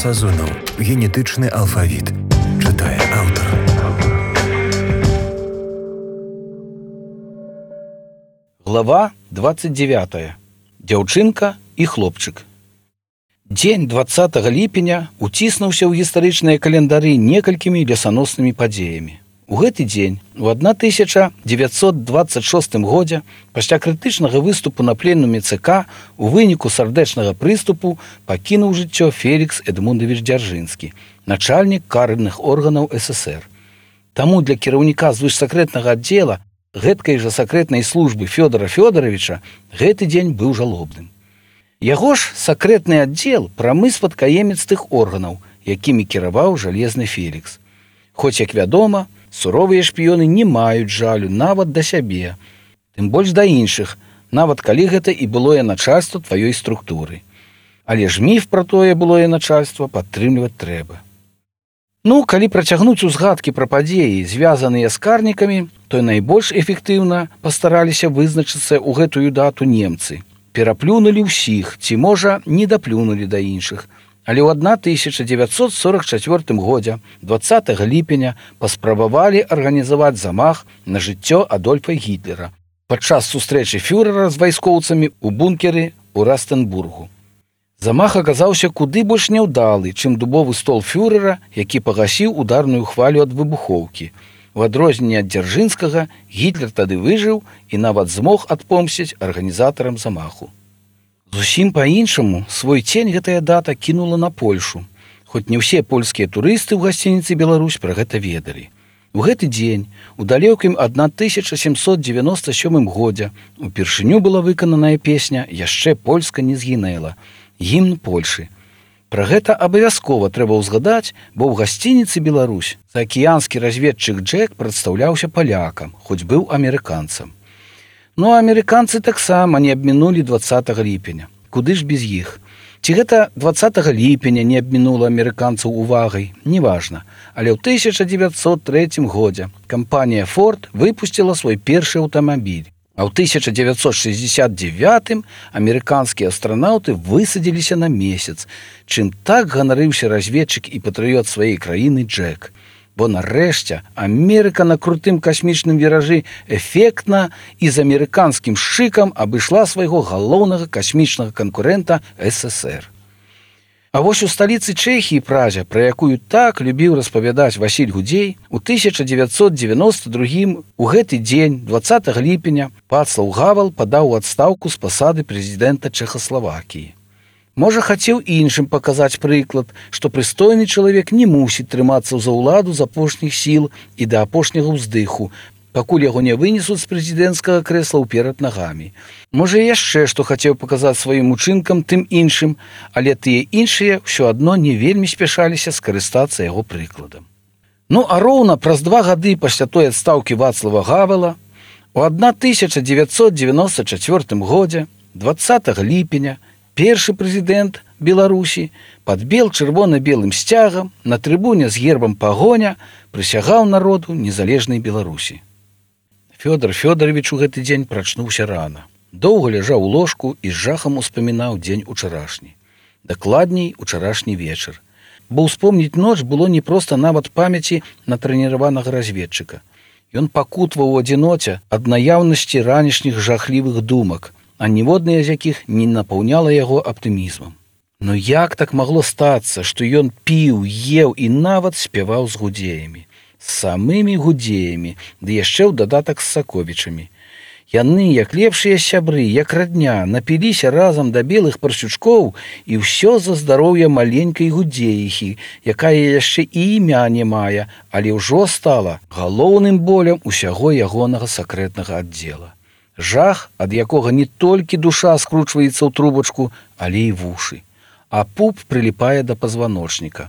Сазонаў. Генетычны алфавіт. Чытае аўтар. Глава 29. Дзяўчынка і хлопчык. Дзень 20 ліпеня уціснуўся ў гістарычныя календары некалькімі лесаноснымі падзеямі. У гэты дзень, у 1926 годзе, пасля крытычнага выступу на пленуме ЦК, у выніку сардэчнага прыступу пакінуў жыццё Фелікс Эдмундавіч Дзяржынскі, начальнік карных органаў СССР. Таму для кіраўніка звышсакрэтнага аддзела гэткай жа сакрэтнай службы Фёдора Фёдоровича гэты дзень быў жалобным. Яго ж сакрэтны аддзел прамы спадкаемец тых органаў, якімі кіраваў жалезны Фелікс. Хоць, як вядома, суровыя шпіёны не маюць жалю нават да сябе, тым больш да іншых, нават калі гэта і былое начальства тваёй структуры. Але ж міф пра тое былое начальства падтрымліваць трэба. Ну, калі працягнуць узгадкі пра падзеі, звязаныя з карнікамі, то найбольш эфектыўна пастараліся вызначыцца ў гэтую дату немцы. Пераплюнулі ўсіх, ці, можа, не даплюнулі да іншых. Але ў 1944 годзе, 20 ліпеня, паспрабавалі арганізаваць замах на жыццё Адольфа Гітлера падчас сустрэчы фюрэра з вайскоўцамі ў бункеры ў Растенбургу. Замах аказаўся куды больш няўдалы, чым дубовы стол фюрэра, які пагасіў ударную хвалю ад выбухоўкі. У адрозненне ад Дзяржынскага, Гітлер тады выжыў і нават змог адпомсціць арганізатарам замаху. Зусім па-іншаму свой цень гэтая дата кінула на Польшу, хоць не ўсе польскія турысты ў гасцініцы «Беларусь» пра гэта ведалі. У гэты дзень, у далёкім 1797 годзе, упершыню была выкананая песня «Яшчэ Польска не згінэла» – гімн Польшы. Пра гэта абавязкова трэба ўзгадаць, бо ў гасцініцы «Беларусь» заакіянскі разведчык Джек прадстаўляўся палякам, хоць быў амерыканцам. Ну, а амерыканцы таксама не абмінулі 20 ліпеня. Куды ж без іх? Ці гэта 20 ліпеня не абмінула амерыканцаў увагай? Неважна. Але ў 1903 годзе кампанія «Форд» выпусціла свой першы аўтамабіль. А ў 1969 амерыканскія астранаўты высадзіліся на месяц, чым так ганарыўся разведчык і патрыёт сваёй краіны Джек. Бо нарэшце Амерыка на крутым касмічным віражы эфектна і з амерыканскім шыкам абышла свайго галоўнага касмічнага канкурэнта СССР. А вось у сталіцы Чэхіі, Празе, пра якую так любіў распавядаць Васіль Гудзей, у 1992 у гэты дзень, 20 ліпеня, Вацлаў Гавал падаў у адстаўку з пасады прэзідэнта Чэхаславакіі. Можа, хацеў іншым паказаць прыклад, што прыстойны чалавек не мусіць трымацца за ўладу з апошніх сіл і да апошняга ўздыху, пакуль яго не вынесуць з прэзідэнцкага крэсла ўперад нагамі. Можа, яшчэ што хацеў паказаць сваім учынкам тым іншым, але тыя іншыя ўсё адно не вельмі спяшаліся скарыстацца яго прыкладам. Ну, а роўна праз 2 гады пасля той адстаўкі Вацлава Гавала, у 1994 годзе, 20 ліпеня, першы прэзідэнт Беларусі пад бел-чырвона-белым сцягам на трыбуне з гербам пагоня прысягаў народу незалежнай Беларусі. Фёдор Фёдорович у гэты дзень прачнуўся рана. Доўга ляжаў у ложку і з жахам успамінаў дзень учарашні. Дакладней, учарашні вечар. Бо ўспомніць ноч было не проста нават памяці натрэніраванага разведчыка. Ён пакутваў у адзіноце ад наяўнасці ранішніх жахлівых думак, а ніводная з якіх не напаўняла яго аптымізмам. Но як так магло стацца, што ён піў, еў і нават спяваў з гудзеямі? З самымі гудзеямі, ды яшчэ ў дадатак з Саковічамі. Яны, як лепшыя сябры, як радня, напіліся разам да белых парсючкоў і ўсё за здароўе маленькай гудзеіхі, якая яшчэ і імя не мае, але ўжо стала галоўным болем усяго ягонага сакрэтнага аддзела. Жах, ад якога не толькі душа скручваецца ў трубачку, але і вушы. А пуп прыліпае да пазваночніка.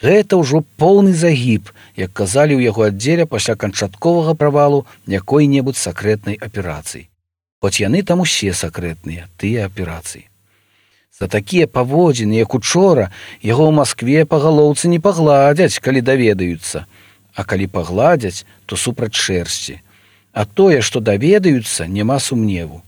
Гэта ўжо поўны загіб, як казалі ў яго аддзеле пасля канчатковага правалу якой-небудзь сакрэтнай аперацыі. Хоць яны там усе сакрэтныя, тыя аперацыі. За такія паводзіны, як учора, яго ў Маскве па галоўцы не пагладзяць, калі даведаюцца. А калі пагладзяць, то супраць шэрсці. А тое, што даведаюцца, няма сумневу.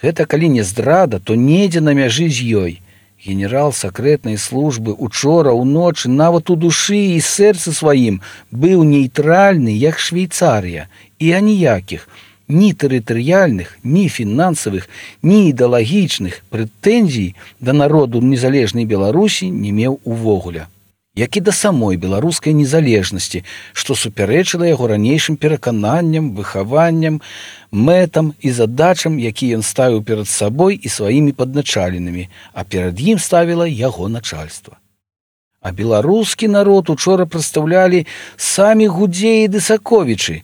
Гэта калі не здрада, то недзе на мяжы з ёй. Генерал сакрэтнай службы учора ўночы нават у душы і сэрцы сваім быў нейтральны, як Швейцарія, і аніякіх ні тэрытарыяльных, ні фінансавых, ні ідэалагічных прэтэнзій да народу незалежнай Беларусі не меў увогуле, як і да самой беларускай незалежнасці, што супярэчыла яго ранейшым перакананням, выхаванням, мэтам і задачам, які ён ставіў перад сабой і сваімі падначаленымі, а перад ім ставіла яго начальства. А беларускі народ учора прадстаўлялі самі Гудзеі ды Саковічы,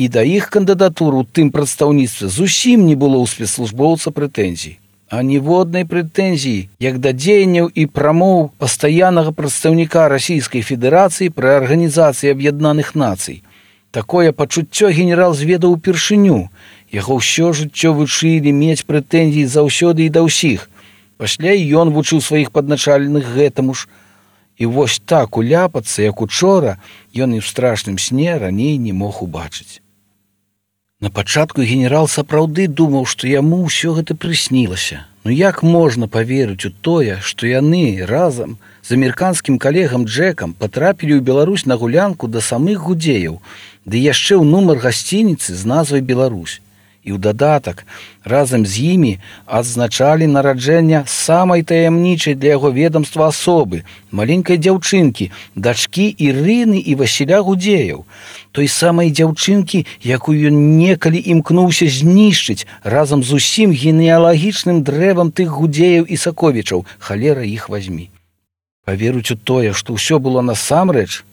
і да іх кандыдатуру ў тым прадстаўніцтве зусім не было ў спецслужбоўца прэтэнзій. А ніводнай прэтэнзіі, як да дзеянняў і прамоў пастаяннага прадстаўніка Расійскай Федэрацыі пры Арганізацыі Аб'яднаных Нацый. Такое пачуццё генерал зведаў упершыню. Яго ўсё жыццё вучылі мець прэтэнзіі заўсёды і да ўсіх. Пасля і ён вучыў сваіх падначаленых гэтаму ж. І вось так уляпацца, як учора, ён і ў страшным сне раней не мог убачыць. На пачатку генерал сапраўды думаў, што яму ўсё гэта прыснілася. Ну як можна паверыць у тое, што яны разам з амерыканскім калегам Джэкам патрапілі ў Беларусь на гулянку да самых Гудзеяў, ды яшчэ ў нумар гасцініцы з назвай «Беларусь». І ў дадатак разам з імі адзначалі нараджэнне самай таямнічай для яго ведамства асобы, маленькай дзяўчынкі, дачкі Ірыны і Васіля Гудзеяў, той самай дзяўчынкі, якую ён некалі імкнуўся знішчыць разам з усім генеалагічным дрэвам тых Гудзеяў і Саковічаў, халера іх вазьмі. Паверыць у тое, што ўсё было насамрэч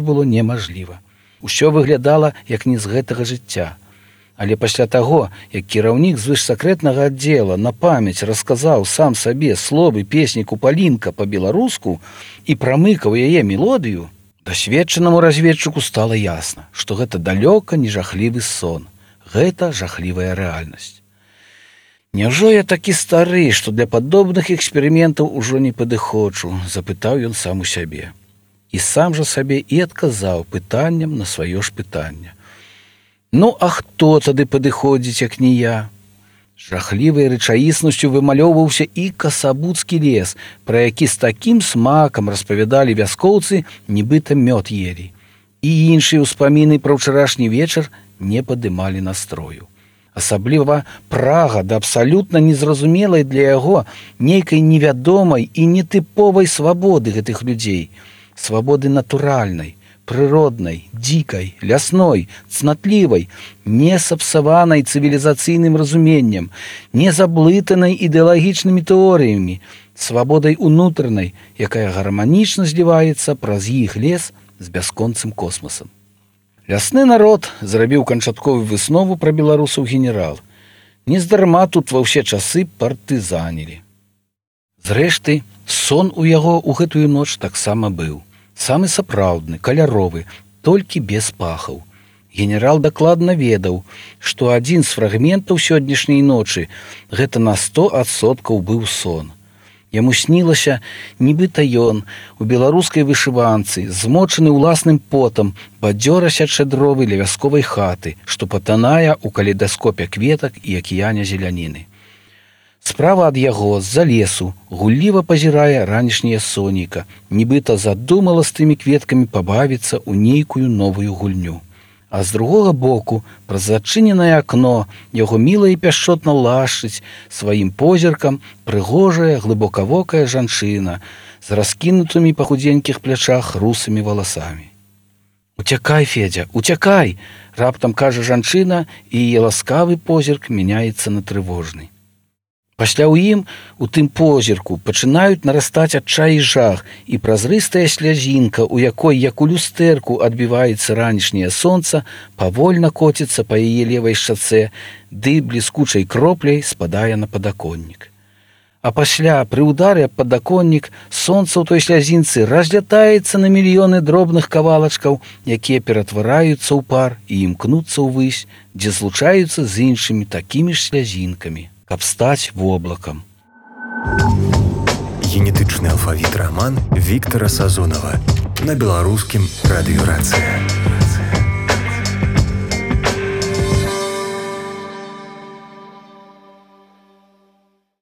было немажліва. Усё выглядала, як не з гэтага жыцця. Але пасля таго, як кіраўнік звышсакрэтнага аддзела на памяць расказаў сам сабе словы песні «Купалінка» па-беларуску і прамыкаў яе мелодыю, дасведчанаму разведчыку стала ясна, што гэта далёка не жахлівы сон, гэта жахлівая рэальнасць. «Няўжо я такі стары, што для падобных эксперыментаў ужо не падыходжу?» – запытаў ён сам у сябе. І сам жа сабе і адказаў пытаннем на сваё ж пытанне. Ну, а хто тады падыходзіць, як не я? Жахлівай рэчаіснасцю вымалёўваўся і Касабуцкі лес, пра які з такім смакам распавядалі вяскоўцы, нібыта мёд елі. І іншыя ўспаміны пра ўчарашні вечар не падымалі настрою. Асабліва прага да абсалютна незразумелай для яго нейкай невядомай і нетыповай свабоды гэтых людзей, свабоды натуральнай, прыроднай, дзікай, лясной, цнатлівай, не сапсаванай цывілізацыйным разуменнем, не заблытанай ідэалагічнымі тэорыямі, свабодай унутранай, якая гарманічна зліваецца праз іх лес з бясконцым космасам. Лясны народ зрабіў канчатковую выснову пра беларусаў генерал. Нездарма тут ва ўсе часы партызанілі. Зрэшты, сон у яго ў гэтую ноч таксама быў. Самы сапраўдны, каляровы, толькі без пахаў. Генерал дакладна ведаў, што адзін з фрагментаў сённяшняй ночы гэта на 100% быў сон. Яму снілася, нібыта ён у беларускай вышыванцы, змочаны ўласным потам, бадзёра сячэ дровы ля вясковай хаты, што патанае ў калейдаскопе кветак і акіяне зеляніны. Справа ад яго, з-за лесу, гулліва пазірае ранішняе сонейка, нібыта задумала з тымі кветкамі пабавіцца ў нейкую новую гульню. А з другога боку, праз зачыненае акно, яго міла і пяшчотна лашчыць сваім позіркам прыгожая, глыбокавокая жанчына з раскінутымі па худзенькіх плячах русымі валасамі. «Уцякай, Федзя, уцякай!» – раптам кажа жанчына, і яе ласкавы позірк мяняецца на трывожны. Пасля ў ім, у тым позірку, пачынаюць нарастаць адчай і жах, і празрыстая слязінка, у якой, як у люстэрку, адбіваецца ранішняе сонца, павольна коціцца па яе левай шчацэ, ды бліскучай кропляй спадае на падаконнік. А пасля, пры ўдары аб падаконнік, сонца ў той слязінцы разлятаецца на мільёны дробных кавалачкаў, якія ператвараюцца ў пар і імкнуцца ўвысь, дзе злучаюцца з іншымі такімі ж слязінкамі, каб стаць воблакам. Генетычны алфавіт раман Віктара Сазонава на беларускім радыёрацыя.